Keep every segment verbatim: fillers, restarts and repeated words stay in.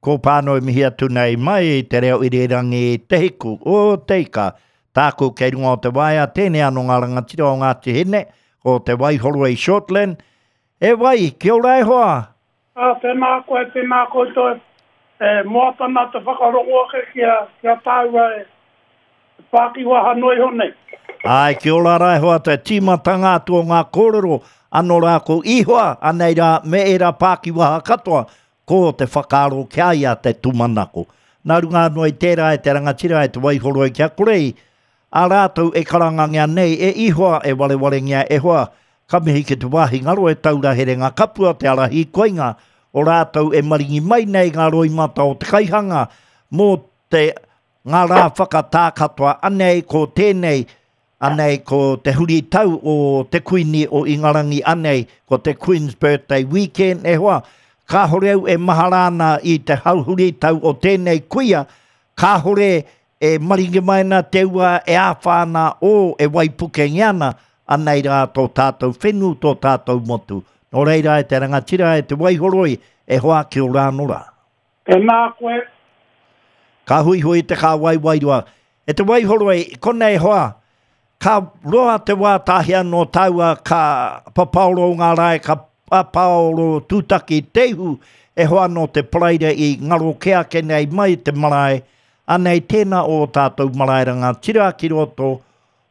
Ko pānui mihi atu nei mai i te reo irirangi Te Hiku o Te Ika. Tāku kei runga o te waea, tēnei anō ngā rangatira o Ngāti Hine, ko Te Waihoroi Shortland. E wai, kia ora e hoa! Ā, tēnā koe, tēnā koutou e moata nā te whakarongo ake ki a, ki a tāua e pākiwaha noa iho nei. Āe, kia ora rā e hoa, te tīmatanga atu o ngā kōrero, anō rā ko Ihoa, anei rā me ērā pākiwaha katoa, ko te whakaaro ki a ia te tūmanako. Nā runga anō i tērā e te rangatira e Te Waihoroi kia kore i a rātou e karangangia nei e Ihoa e warewarengia e hoa, ka mihi ki te wāhi ngaro e taura herenga kapua te ara hīkoinga o rātou e maringi mai nei ngā roimata o te kaihanga mō te ngā rā whakatā katoa anei ko tēnei anei ko te huritau o te Kuini o Ingarangi anei ko te Queen's Birthday Weekend e hoa kāhore au e mahara ana i te hau huritau o tēnei kuia kāhore e maringi mai ana te ua e āwhā ana o e waipukengia ana anei rā tō tātou whenu tō tātou motu. Nō reira e te rangatira e Te Waihoroi e hoa ki o rāno rā. Tēnā koe. Ka huihui te kāwai wairua. E Te Waihoroi, konei hoa, ka roa te wā tahi anō tāua ka papaoro ngā rae, ka papaoro tūtaki te ihu, e hoa anō te paraire i ngaro kē ake nei mai te marae, anei tēnā o tātou marae rangatira ki roto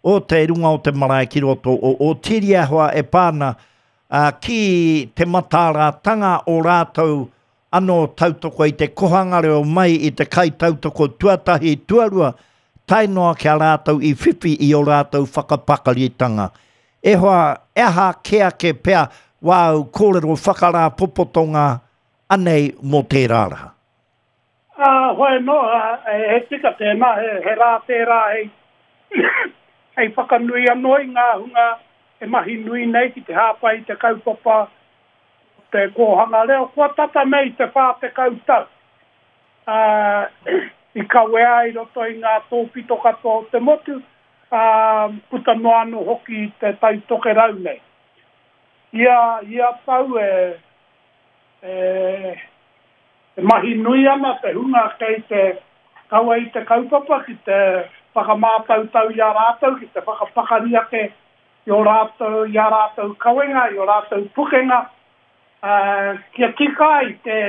o te runga o te marae ki roto o Otiria hoa e pā ana ki te mataaratanga o rātou anō tautoko i te kohanga reo mai i te kaitautoko tuatahi tuarua tae noa ki a rātou i whiwhi i ō rātou whakapakaritanga. E hoa, e aha kē ake pea wāu kōrero whakarāpopotonga anei mō tērā rā? Ā, hoi anō, he tika tēnā, he rā tērā hei, hei whakanui anō i ngā hunga e mahi nui nei ki te hāpai i te kaupapa o te kōhanga reo. Kua tata nei te whā tekau tau, ā, i kawea i roto i ngā tōpito katoa o te motu, ā, puta noa anō hoki i te Tai Tokerau nei. Ia, ia tau e, e, e mahi nui ana te hunga kei te kawe i te kaupapa ki te whakamātautau i a rātou, ki te whakapakari ake i ō rātou, i ā rātou kawenga, i ō rātou pukenga, ā, kia tika ai te,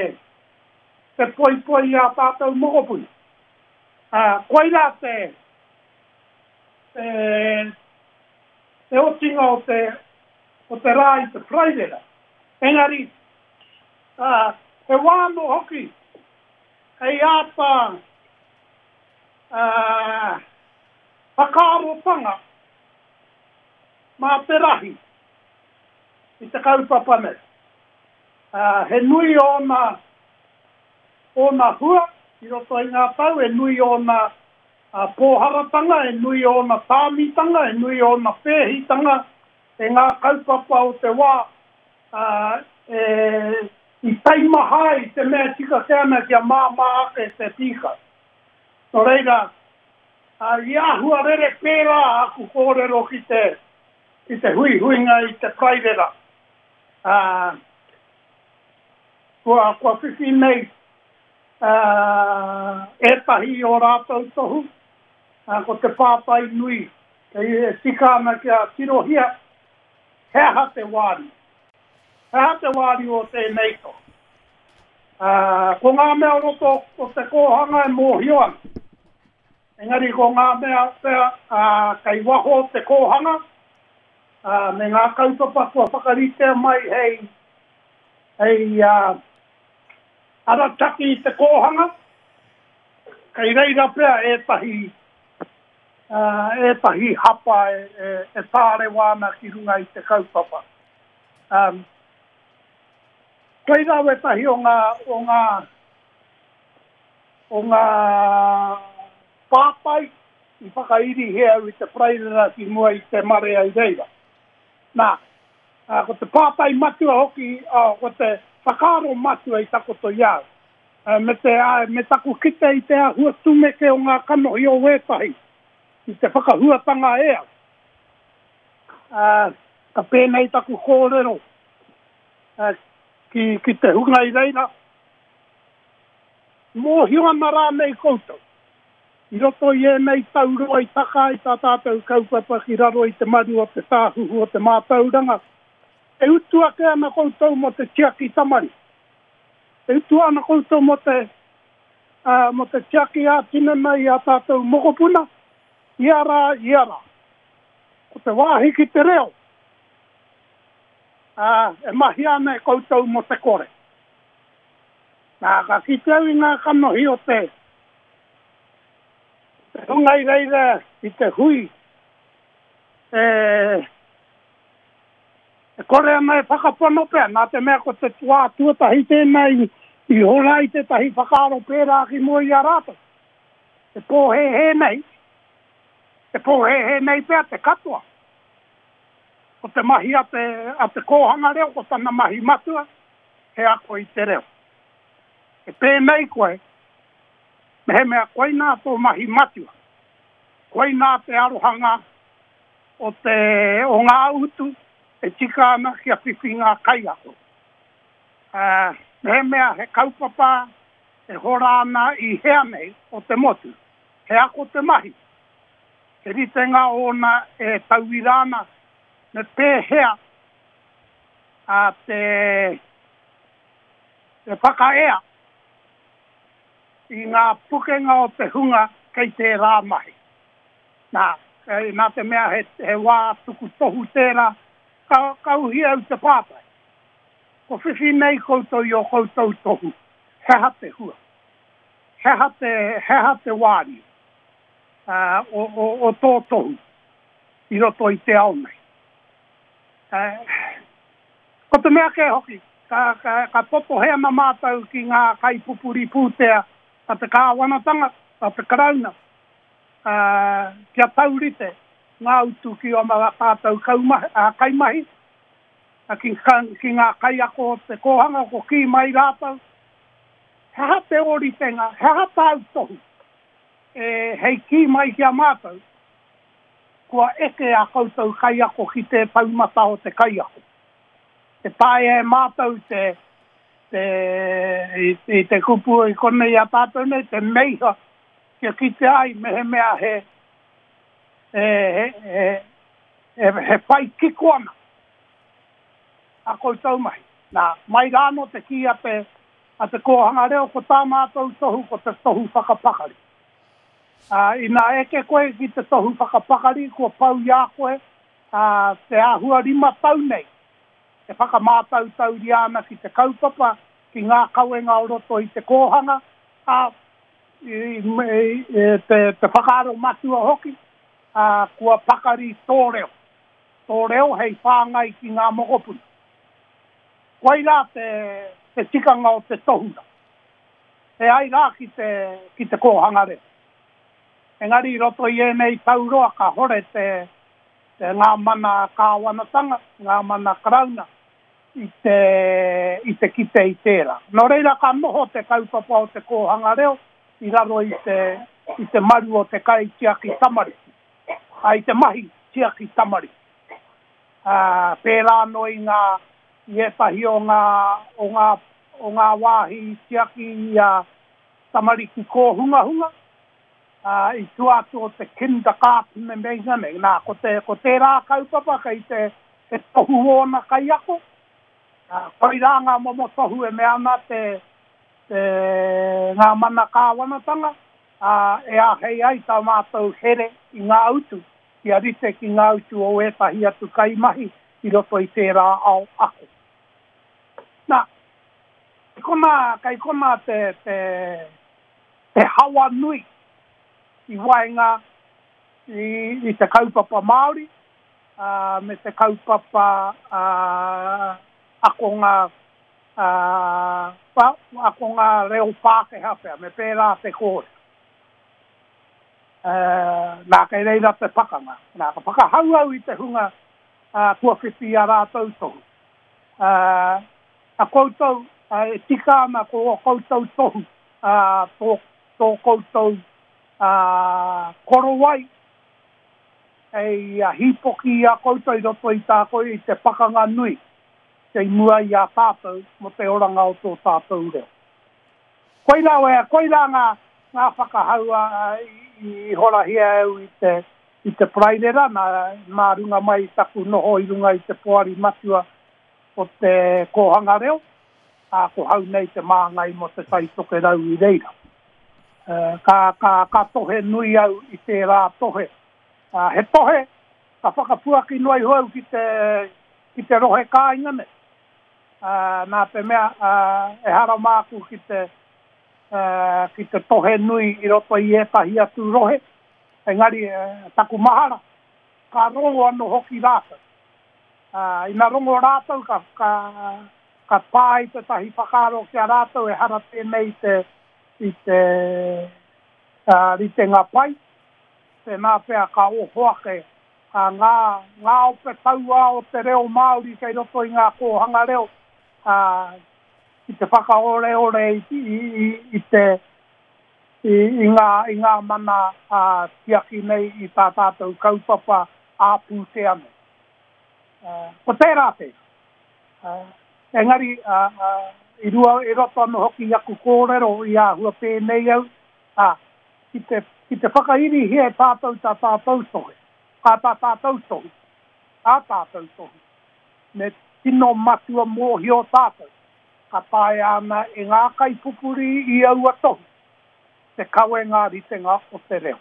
te poipoi i ā tātou mokopuna. Ā, koirā te, te, te otinga o te, o te rā i te Paraire. Engari, ā, he wā anō hoki hei āta, ā, whakaarotanga mā te rahi i te kaupapa nei. Ā, he nui ōna, ōna hua i roto i ngā tau, he nui ōna pōharatanga, he nui ōna tāmitanga, he nui ōna pēhitanga e ngā kaupapa o te wā, ā, e, i taimaha ai te mea tika kē ana kia māmā ake te pīkau. Nō reira, ā, i āhua rere pērā aku kōrero ki te, ki te huihuinga i te Paraire. Ā, kua, kua whiwhi nei, ā, ētahi i ō rātou tohu, ā, ko te pātai nui, kei e tika ana kia tirohia, he aha te wāriu? He aha te wāriu o tēnei tohu? Ā, ko ngā mea o roto o te kōhanga e mōhio ana. Engari ko ngā mea pea, ā, kei waho o te kōhanga, ā, me ngā kaupapa kua whakaritea mai hei, hei, ā, arataki i te kōhanga, kei reira pea ētahi, ā, ētahi hapa e, e, e tārewa ana ki runga i te kaupapa. Ā, koirā wētahi o ngā, o ngā, o ngā pātai i whakairihia au i te Paraire ki mua i te marea i reira. Nā, ā, ko te pātai matua hoki, ā, ko te whakaaro matua i takoto i a au, ā, me te, ā, me taku kite i te āhua tumeke o ngā kanohi o wētahi i te whakahuatanga e au. Ā, ka pēnei taku kōrero, ā, ki, ki te hunga i reira, Mōhio ana rānei koutou. I roto i ēnei tau roa i taka ai tā tātou kaupapa ki raro i te maru o te tāhuhu o te mātauranga, e utu ake ana koutou mō te tiaki tamariki. E utu ana koutou mō te, uh, mō te tiaki ā-tinana i a tātou mokopuna, ia rā, ia rā. Ko te wāhi ki te reo, uh, e mahi ana e koutou mō te kore. Nā, ka kite au i ngā kanohi o te te hunga i reira i te hui, e, e kore ana e whakapono pea, nā te mea ko te wā tuatahi tēnā i, i hora i tētahi whakaaro pērā ki mua i a rātou. Te pōhēhē nei, te pōhēhē nei pea te katoa. Ko te mahi a te, a te kōhanga reo, ko tana mahi matua, he ako i te reo. E pēnei koe, mehemea koinā tō mahi matua, koinā te arohanga o, te, o ngā utu e tika ana kia whiwhi ngā kaiako. Uh, mehemea he kaupapa e hora ana i hea nei o te motu, he ako te mahi, he ritenga ōna e tauira ana, me pēhea a te, te whakaea i ngā pukenga o te hunga kei tērā mahi. Nā, e, nā te mea he, he wā tuku tohu tērā, ka, ka uhi au te pātai. Ko whiwhi nei koutou i o koutou tohu, he aha te hua, he aha te, he aha te wāriu uh, o, o, o tō tohu i roto i te ao nei. Uh, ko te mea kē hoki, ka, ka, ka popohe ana mātou ki ngā kaipupuri pūtea a te kāwanatanga, a te karauna, uh, kia taurite ngā utu ki o mātou kaumahi, uh, kaimahi, uh, ki, ki ngā kaiako o te kōhanga, ko kī mai rātou. He aha te ōritenga, he aha tāu tohu, e, hei kī mai ki a mātou, kua eke a koutou kaiako ki te taumata o te kaiako. Te taea e mātou te, te, i, i te kupu i konei a tātou nei, te meiha, kia kite ai mehemea he, he, he, he, he, he whai kiko ana a koutou mahi. Nā, mai rāno te kī a te, a te kōhanga reo, ko tā mātou tohu, ko te tohu whakapakari. Uh, ina eke koe ki te tohu whakapakari, kua pau i a koe, uh, te āhua rima tau nei, e whakamātautauria ana ki te kaupapa, ki ngā kawenga o roto i te kōhanga, a, i, i, i, te, te whakaaro matua hoki, a, kua pakari tō reo. Tō reo hei whāngai ki ngā mokopuna. Koirā te, te tikanga o te tohuna. E ai rā ki te, ki te kōhanga reo. Engari i roto i ēnei tau roa ka hore te, te ngā mana kāwanatanga, ngā mana karauna i te, i te kite i tērā. Nō reira ka noho te kaupapa o te kōhanga reo i raro i te, i te maru o te kaitiaki tamariki, a i te mahi tiaki tamariki. Uh, pērā anō i ngā, i ētahi o ngā, o ngā, o ngā wāhi tiaki i a tamariki kōhungahunga, uh, i tua atu o te kindergarten me meinga nei. Nā, ko, te, ko tērā kaupapa kei te, te tohu ōna kaiako, uh, koirā ngā momo tohu e mea ana te, te ngā mana kāwanatanga, uh, e āhei ai tā mātou here i ngā utu, kia rite ki ngā utu o ētahi atu kaimahi i roto i tērā ao ako. Nā, kei konā, kei konā te, te, te hawa nui i waenga i, i te kaupapa Māori, uh, me te kaupapa uh, akonga, uh, pa, akonga reo Pākehā pea, me pērā te kōrero. Uh, nā, kei reira te pakanga. Nā, ka whakahau au i te hunga uh, kua whiwhi i a rātou tohu. Uh, a koutou, uh, e tika ana ko o koutou tohu, uh, tō, tō koutou uh, korowai, hei uh, hīpoki i a koutou i roto i tā koe i te pakanga nui, kei mua i a tātou mō te oranga o tō tātou reo. Koirā, koirā ngā, ngā whakahaua i, i horahia au i te, i te Paraire rā, nā, nā runga mai taku noho i runga i te poari matua o te kōhanga reo, a ko hau nei te māngai mo te Tai Tokerau i reira. Ka, ka, ka tohe nui au i tērā tohe. Uh, he tohe, ka whakapuaki noa iho au ki te, ki te rohe kāinga nei. Uh, nā te mea, uh, e hara māku ki te, uh, ki te tohe nui i roto i ētahi atu rohe, engari uh, taku mahara, ka rongo anō hoki rātou. Uh, ina rongo rātou ka, ka, ka pā i tētahi whakaaro ki a rātou e hara tēnei te, i te uh, ritenga pai, tēnā pea ka oho ake a ngā, ngā ope tauā o te reo Māori kei roto i ngā kōhanga reo, uh, ki te whakaoreore i, i, i, i te i, i, ngā, i ngā mana uh, tiaki nei i tā tātou kaupapa ā-pūtea nei. Uh, ko tērā tērā. Uh, engari, uh, uh, i, rua, i roto anō hoki i aku kōrero i āhua pēnei au, uh, ki te, ki te whakairihia e tātou tā tātou tohe, kā tā tātou tohu, tā tātou tohu, me tino matua mōhio tātou, ka taea ana e ngā kaipupuri i aua tohu, te kawe ngā ritenga o te reo.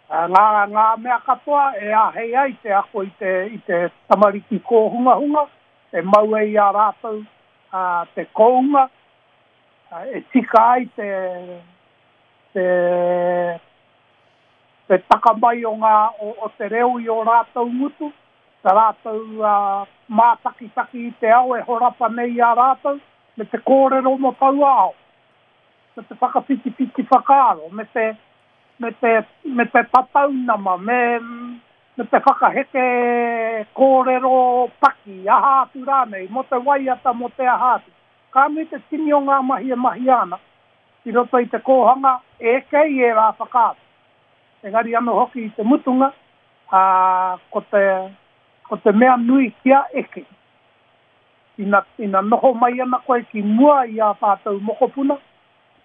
Ngā, ngā mea katoa e āhei ai te ako i te, i te tamariki kōhungahunga, e mau ai i a rātou uh, te kounga, uh, e tika ai te, te, te taka mai o, ngā, o, o te reo i o rātou ngutu, ta rātou uh, mātakitaki i te ao e horapa nei i a rātou, me te kōrero mo taua ao, me te whakawhitiwhiti whakaaro, me te, me te, me te tataunama, me, me te whakaheke kōrero paki, aha atu rānei, mo te waiata, mo te aha atu. Ka nui te tini o ngā mahi e mahi ana, i roto i te kōhanga e kei e rā whakaaro. Engari anō hoki i te mutunga, a, ko te, ko te mea nui kia eke. Ina, ina noho mai ana koe ki mua i a tātou mokopuna,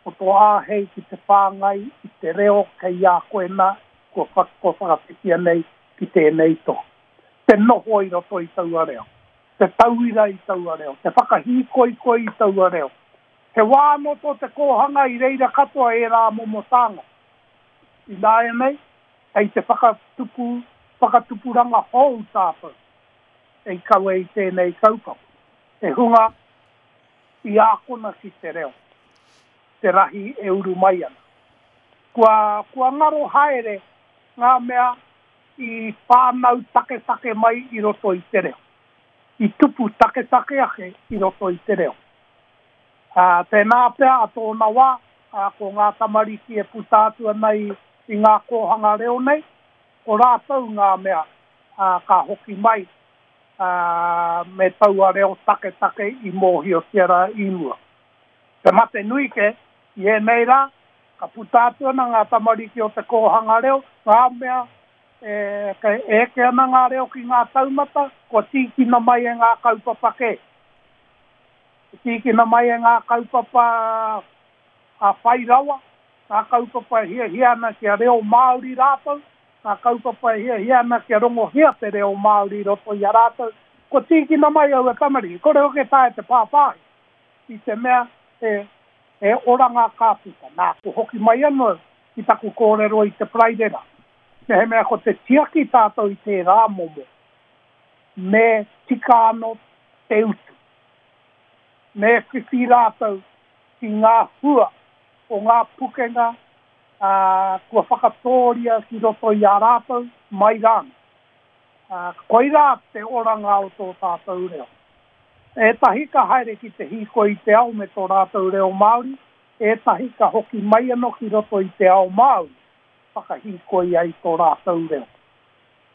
ko tō āhei ki te whāngai i te reo kei a koe nā, kua, wha, kua whakawhitia nei ki tēnei tohu. Te noho i roto i taua reo, te tauira i taua reo, te whakahīkoikoi i taua reo. He wā anō tō te kōhanga i reira katoa e rā momo tānga. Ināianei, hei te whakatupu, whakatupuranga hou tātou, e kawe i tēnei kaupapa. Te hunga i ākona ki te reo, te rahi e uru mai ana. Kua, kua ngaro haere ngā mea i whānau taketake mai i roto i te reo. I tupu taketake ake i roto i te reo. Uh, tēnā pea a tōna wā, uh, ko ngā tamariki e puta atu ana i, i ngā kōhanga reo nei, ko rātou ngā mea uh, ka hoki mai uh, me taua reo taketake i mōhiotia rā i mua. Te mate nui ke, i ēnei rā, ka puta atu ana ngā tamariki o te kōhanga reo, ngā mea e, ke eke ana ngā reo ki ngā taumata, kua tīkina mai e ngā kaupapa kē. Tīkina mai e ngā kaupapa a whai rawa, ngā kaupapa e hiahia ana kia reo Māori rātou, ngā kaupapa e hiahia ana kia rongohia te reo Māori roto i a rātou, kua tīkina mai aua tamariki, kore hoki taea te pāpāhi, i te mea e, e oranga ka puta. Nā, ko hoki mai anō ki taku kōrero i te Paraire rā. Mehemea ko te tiaki tātou i tērā momo, me tika anō te utu. Me whiwhi rātou ki ngā hua o ngā pukenga uh, kua whakatōria ki roto i a rātou mai rānō. Uh, koirā te oranga o tō tātou reo. Ētahi ka haere ki te hīkoi i te ao me tō rātou reo Māori, ētahi ka hoki mai anō ki roto i te ao Māori, whakahīkoi ai tō rātou reo.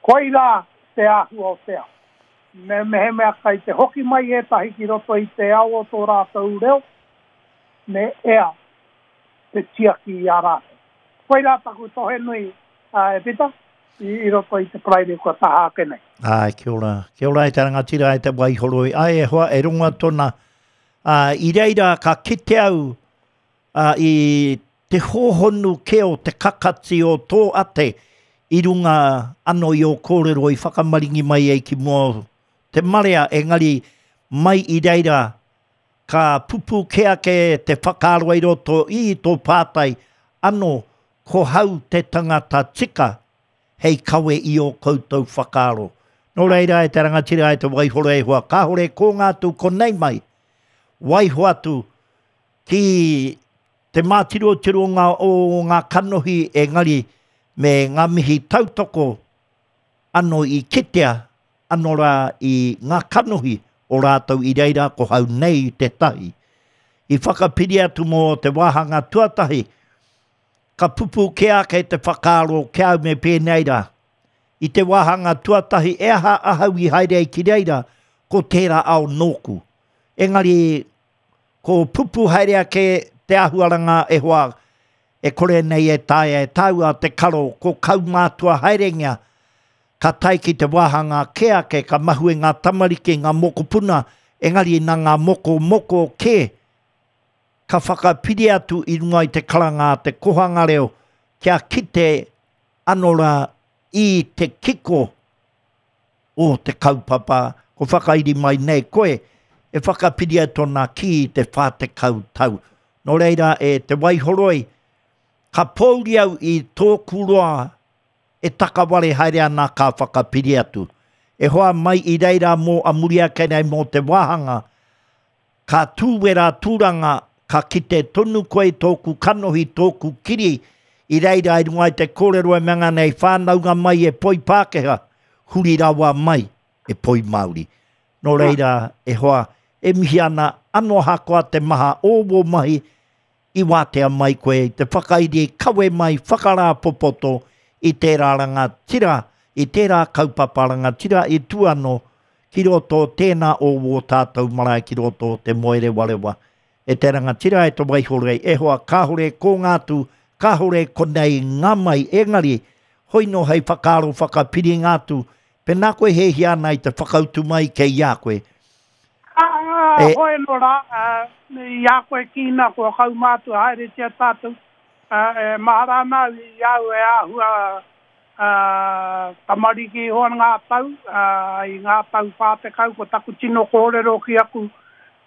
Koirā te āhua o te ao. Me mehemea kai te hoki mai ētahi ki roto i te ao o tō rātou reo, me ea te tiaki i a rātou. Koirā taku tohe nui, uh, e Pita, i, i roto i te Paraire kua taha ake nei. Ai, kia ora. Kia ora e te rangatira e te Waihoroi. Ai, e hoa, e ronga tona. Uh, i reira ka kite au uh, i te hōhonu kē o te kakati o tō ate i runga anō i ō kōrero i whakamaringi mai ai ki mua o te marea, engari mai i reira ka pupū kē ake te whakaaro i roto i tō pātai anō ko hau te tangata tika hei kawe i ō koutou whakaaro. Nō reira e te rangatira e te Waihoroi e hoa, kāhore ko ngā atu konei mai, waiho atu ki te mātirotironga o ngā kanohi engari me ngā mihi tautoko anō i kitea anō rā i ngā kanohi o rātou i reira ko hau nei tētahi. I whakapiri atu mō te wāhanga tuatahi, ka pupū kē ake te whakaaro ki au me pēnei rā. I te wāhanga tuatahi e aha ahau i haere ai ki reira, ko tērā ao nōku. Engari, ko pupū haere ake te āhuaranga e hoa, e kore nei e taea e tāua te karo, ko kaumātua haerengia, ka tae ki te wāhanga kē ake, ka mahue ngā tamariki, ngā mokopuna, engari nā ngā moko moko kē, ka whakapiri atu i runga i te karanga a te kohanga reo, kia kite anō rā i te kiko o te kaupapa, ko whakairi mai nei koe, e whakapiri ai tōna ki te whā tekau tau. Nō reira e te Waihoroi, ka pōuri au i tōku roa e takaware haere ana ka whakapiri atu. E hoa mai i reira mō a muri ake nei mō te wāhanga, ka tūwera tūranga, ka kite tonu koe tōku kanohi, tōku kiri, i reira i runga i te kōrero e mea nei whānaunga mai e poi Pākehā, huri rawa mai e poi Māori. Nō reira, e hoa, e mihi ana anō ahakoa te maha o wō mahi, i wātea mai koe i te whakairi kawe mai whakarāpopoto i tērā rangatira, i tērā kaupapa rangatira i tū anō ki roto tēnā o wō tātou marae ki roto o te Moerewarewa. E te rangatira e te Waihoroi, e hoa kāhore ko ngā atu, kāhore konei ngā mai, engari, hoi nō hei whakaaro whakapiri ngā atu, pēnā koe hēhia ana i te whakautu mai kei a koe. Ah, e, hoi nō rā, uh, i a koe kīna kua kaumātua haeretia tātou, uh, e mahara ana au i au e āhua uh, tamariki iho ngā tau, uh, i ngā tau whā tekau, ko taku tino kōrero ki aku,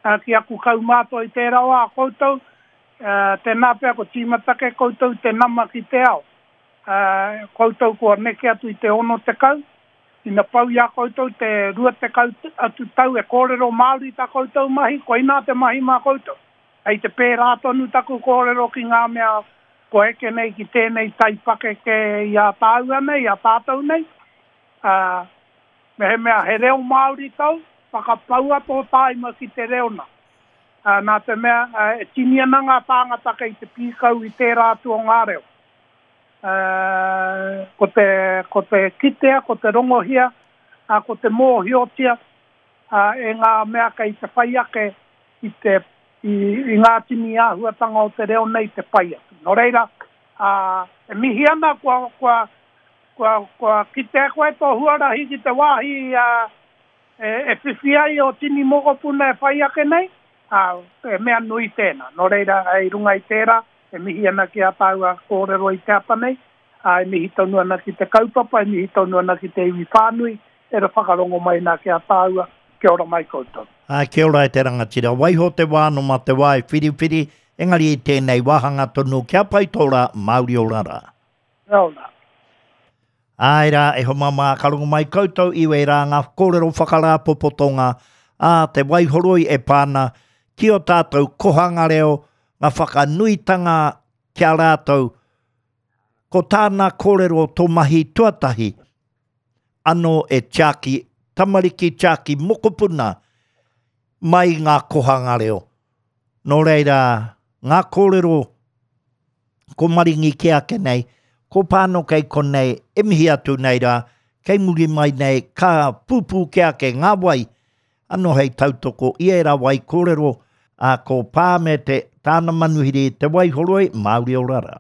uh, ki aku kaumātua i tērā wā koutou, uh, tēnā pea ko tīmatake koutou te nama ki te ao. Uh, koutou kua neke atu i te ono tekau, ina pau i a koutou te rua tekau atu tau e kōrero Māori tā koutou mahi, koinā te mahi mā koutou. Hei te pērā tonu taku kōrero ki ngā mea ko eke nei ki tēnei taipakeke i a tāua nei, i a tātou nei. Uh, mehemea he reo Māori tau, whakapaua tō tāima ki te reo nā. Uh, nā te mea, uh, e tini ana ngā tāngata kei te pīkau i tērā atu o ngā reo. Uh, ko te, ko te kitea, ko te rongohia, uh, ko te mōhiotia uh, e ngā mea kei te whai ake i, te, i, i ngā tini āhuatanga o te reo nei te pai atu. Nō reira, uh, e mihi ana kua, kua, kua, kua kitea koe tō huarahi ki te wāhi uh, e, e whiwhi ai o tini mokopuna e whai ake nei, uh, e mea nui tēnā. Nō reira, e runga i tērā, e mihi ana ki a tāua kōrero i te ata nei, a e mihi tonu ana ki te kaupapa, e mihi tonu ana ki te iwi whānui, e ra whakarongo mai nā ki a tāua, kia ora mai koutou. Ai, kia ora e te rangatira. Waiho te wā no mā te wā e whiriwhiri, engari i tēnei wāhanga tonu, kia pai tō rā, Māori ora rā. Kia ora. Ai rā, e homa mā, ka rongo mai koutou i wērā ngā kōrero whakarāpopotonga a te Waihoroi e pāna ki o tātou kohanga reo, ngā whakanuitanga ki a rātou, ko tāna kōrero tō mahi tuatahi, anō e tiaki tamariki, tiaki mokopuna mai ngā kohanga reo. Nō reira, ngā kōrero ko maringi ki ake nei, ko pāno kei konei, e mihi atu nei rā, kei muri mai nei, ka pūpū ki ake ngā wai, anō hei tautoko i ērā wai kōrero, a ko pā me te tāna manuhiri te Waihoroi, Māori ora rā.